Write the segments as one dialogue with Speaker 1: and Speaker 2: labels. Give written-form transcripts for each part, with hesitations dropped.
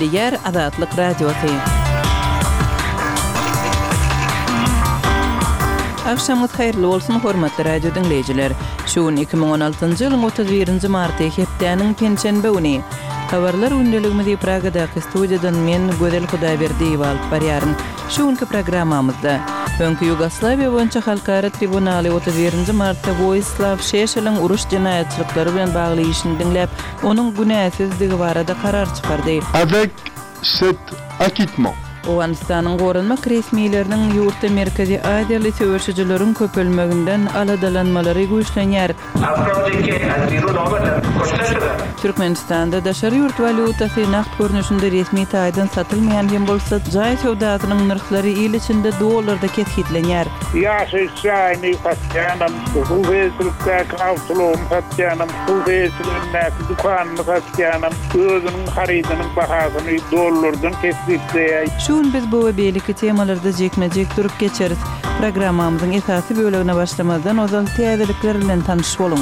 Speaker 1: Gepleýär Azatlyk Radiosy. Agşamyňyz haýyrly bolsun, hormatly radio diňleýjiler! Şu gün 2016-njy ýylyň 31-nji marty, hepdäniň penşenbe güni. Habarlar gündeligimizi Pragadaky studiýadan men, Gözel Hudaýberdiýewa alyp barýaryn. Şu günki programmamyzda, Öňki Ýugoslawiýa boýunça halkara tribunaly 31-nji martda Woislaw Şeşeliň uruş jenaýatçylyklary bilen bagly işini diňläp, onuň günäsizdigi barada karar çykardy.
Speaker 2: Avec cet acquittement.
Speaker 1: Owganystanyň goranmak resmileriniň ýurtda merkezi aziýaly söweşijileriň köpelmeginden aladalanmalary güýçlenýär. Türkmenistanda daşary ýurt walýutasy nagt görnüşinde resmi taýdan satylmaýan hem bolsa, jaý söwdasynyň nyrhlary il içinde dollarda kesgitlenýär.
Speaker 3: Ýaşaýyş jaýyny satýanam, hususy eýeçilikdäki awtoulagyny satýanam, hususy eýeçiligindäki dükanyny satýanam özüniň harydynyň bahasyny dollardan kesgitleýär.
Speaker 1: Şu gün biz bu we beýleki temalarda jikme-jik durup geçeris. Programmamyzyň esasy bölegine başlamazdan ozal täzelikler bilen tanyş boluň.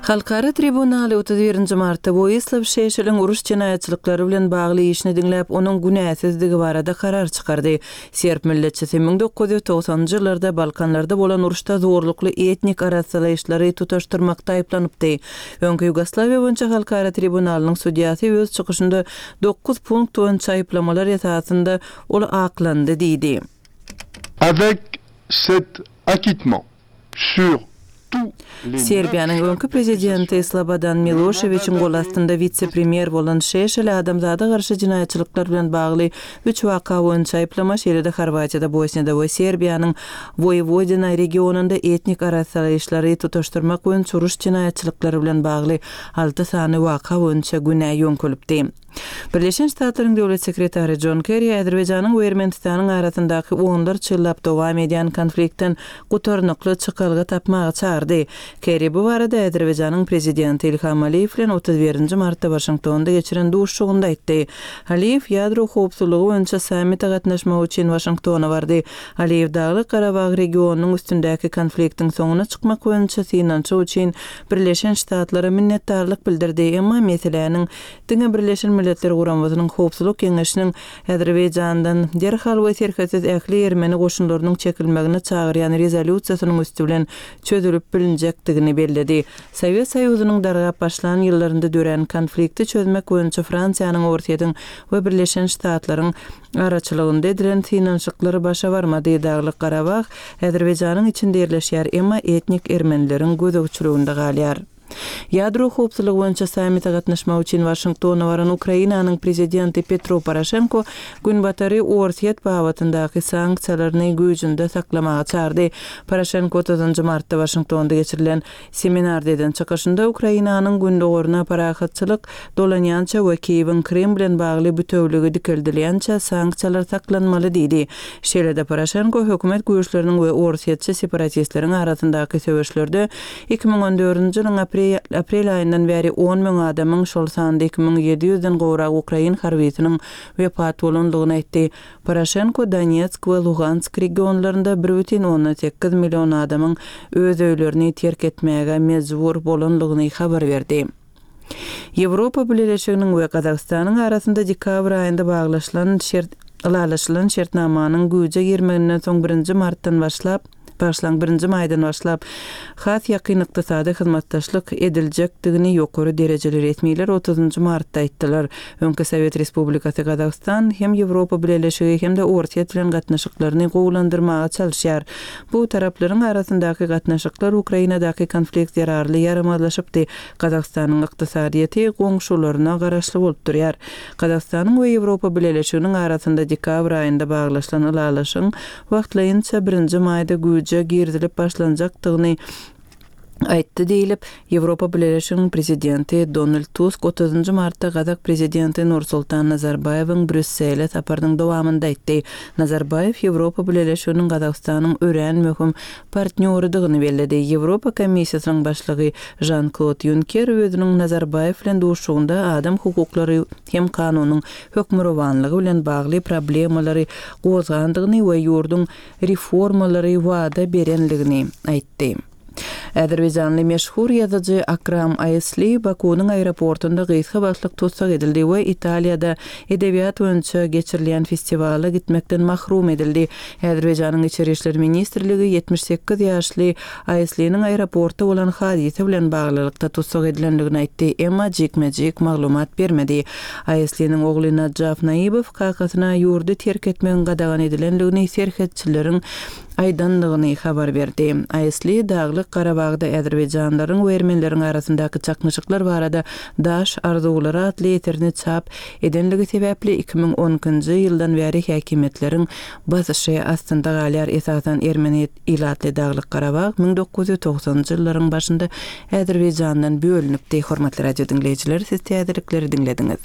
Speaker 1: Halkara tribunaly 31-nji martda Woislaw Şeşeliň uruş jenaýatçylyklary bilen bagly işini diňläp, onuň günäsizdigi barada karar çykardy. Serb milletçisi 1990-njy ýyllarda Balkanlarda bolan uruşda zorlukly etnik arassalaýyşlary tutaşdyrmakda aýyplanypdy. Öňki Ýugoslawiýa boýunça halkara tribunalynyň sudýasy öz çykyşynda dokuz punkt boýunça aýyplamalar esasynda ol aklandy diýdi.
Speaker 2: Avec cet acquittement sur tous les neuf
Speaker 1: Serbiýanyň
Speaker 2: chefs
Speaker 1: öňki
Speaker 2: d'accusation,
Speaker 1: prezidenti Slobodan Miloşewiçiň gol astynda witse-premýer bolan Şeşel adamzada garşy jenaýatçylyklar bilen bagly üç waka boýunça aýyplama, şeýle-de Horwatiýada, Bosniýada we Serbiýanyň Woýewodina regionynda etnik arassalaýyşlary tutaşdyrmak boýunça uruş jenaýatçylyklary bilen bagly alty sany waka boýunça günä ýöňkelipdi. Birleşen Ştatlaryň Döwlet sekretary Jon Kerri Azerbaýjanyň we Ermenistanyň arasyndaky onlarça ýyllap dowam edýän konfliktden gutarnykly çykalga tapmaga çagyrdy. Kerri bu barada Azerbaýjanyň prezidenti Ilham Aliýew bilen 31-nji martda Waşingtonda geçiren duşuşygynda aýtdy. Aliýew ýadro howpsuzlygy boýunça sammite gatnaşmak üçin Waşingtona bardy. Aliýew Daglyk-Garabag regionynyň üstündäki konfliktiň soňuna çykmak boýunça synanyşyk üçin Birleşen Ştatlara minnetdarlyk bildirdi, emma meseläniň diňe Birleşen Milletler Guramasynyň Howpsuzlyk Geňeşiniň Azerbaýjandan derhal we serhetsiz ähli ermeni goşunlarynyň çekilmegine çagyrýan rezolýusiýasynyň üsti bilen çözülip bilinjekdigini belledi. Sowet Soýuzynyň dargap başlan ýyllarynda dörän konflikti çözmek boýunça Fransiýanyň, Orsýetiň we Birleşen Ştatlaryň araçylygynda edilen synanyşyklar başa barmady. Daglyk-Garabag Azerbaýjanyň içinde ýerleşýär, emma etnik ermenileriň gözegçiliginde galýar. Ýadro howpsuzlygy boýunça sammite gatnaşmak üçin Waşingtona baran Ukrainanyň prezidenti Petro Poroşenko Günbatary Orsýet babatyndaky sanksiýalaryny güýjünde saklamaga çagyrdy. Poroşenko otuzynjy martda Waşingtonda geçirilen Seminarda eden çykyşynda Ukrainanyň gündogaryna parahatçylyk dolanýança we Kiýewiň Krym bilen bagly bütewligi dikeldilýänçä sanksiýalar saklanmaly diýdi. Şeýle-de Poroşenko hökümet güýçleriniň we orsýetçi separatistleriň arasyndaky söweşlerde 2014-nji ýylyň aprel aýyndan bäri on müň adamyň, şol sanda 2700-den gowrak ukrain harbysynyň wepat bolandygyny aýtdy. Poroşenko Donetsk we Lugansk regionlarynda bir bütin ondan sekiz million adamyň öz öýlerini terk etmäge mejbur bolandygyny habar berdi. Ýewropa Bileleşiginiň we Gazagystanyň arasynda dekabr aýynda baglaşylan şert ylalaşylan şertnamanyň güýje girmeginden soň birinji martdan başlap, bagyşlaň, birinji maýdan başlap, has ýakyn ykdysady hyzmatdaşlyk ediljekdigini ýokary derejeli resmiler otuzynjy martda aýtdylar. Öňki Sowet Respublikasy Gazagystan hem Ýewropa Bileleşigi hem-de Orsýet bilen gatnaşyklaryny gowulandyrmaga çalyşýar. Bu taraplaryň arasyndaky gatnaşyklar Ukrainadaky konflikt zerarly ýaramazlaşypdy. Gazagystanyň ykdysadyýeti goňşularyna garaşly bolup durýar. Gazagystanyň we Ýewropa Bileleşiginiň arasynda dekabr aýynda baglaşylan ylalaşygyň wagtlaýynça birinji maýda güýje girizilip başlanjakdygyny aýtdy diýlip, Ýewropa Bileleşiginiň Prezidenti Donald Tusk otuzynjy martda gazak Prezidenti Nursultan Nazarbaýewiň Brýussele saparynyň dowamynda aýtdy. Nazarbaýew Ýewropa Bileleşiginiň Gazagystanyň örän möhüm partnýorydygyny belledi. Ýewropa Komissiýasynyň başlygy Žan-Klod Ýunker özüniň Nazarbaýew bilen duşuşygynda adam hukuklary hem kanunyň hökmürowanlygy bilen bagly problemalary gozgandygyny we ýurduň reformalary wada berenligini aýtdy. Azerbaýjanly meşhur ýazyjy Akram Aýsli Bakunyň aeroportunda gysga wagtlyk tussag edildi we Italiýada edebiýat boýunça geçirilýän festiwala gitmekden mahrum edildi. Azerbaýjanyň Içeri işler ministrligi 78 ýaşly Aýsliniň aeroportda bolan hadysa bilen baglylykda tussag edilendigini aýtdy, emma jikme-jik maglumat bermedi. Aýsliniň ogly Najaf Naibow kakasyna ýurdy terk etmegiň gadagan edilendigini serhetçileriň aýdandygyny habar berdi. Aýsli Daglyk Garabagda azerbaýjanlaryň we ermenileriň arasyndaky çaknyşyklar barada Daş arzuwlary atly eserini çap edenligi sebäpli 2012-nji ýyldan bäri häkimiýetleriň basyşy astynda galýar. Esasan ermeni ilatly Daglyk Garabag 1990-njy ýyllaryň başynda Azerbaýjandan bölünipdi. Hormatly radio diňleýjiler, siz täzelikleri diňlediňiz.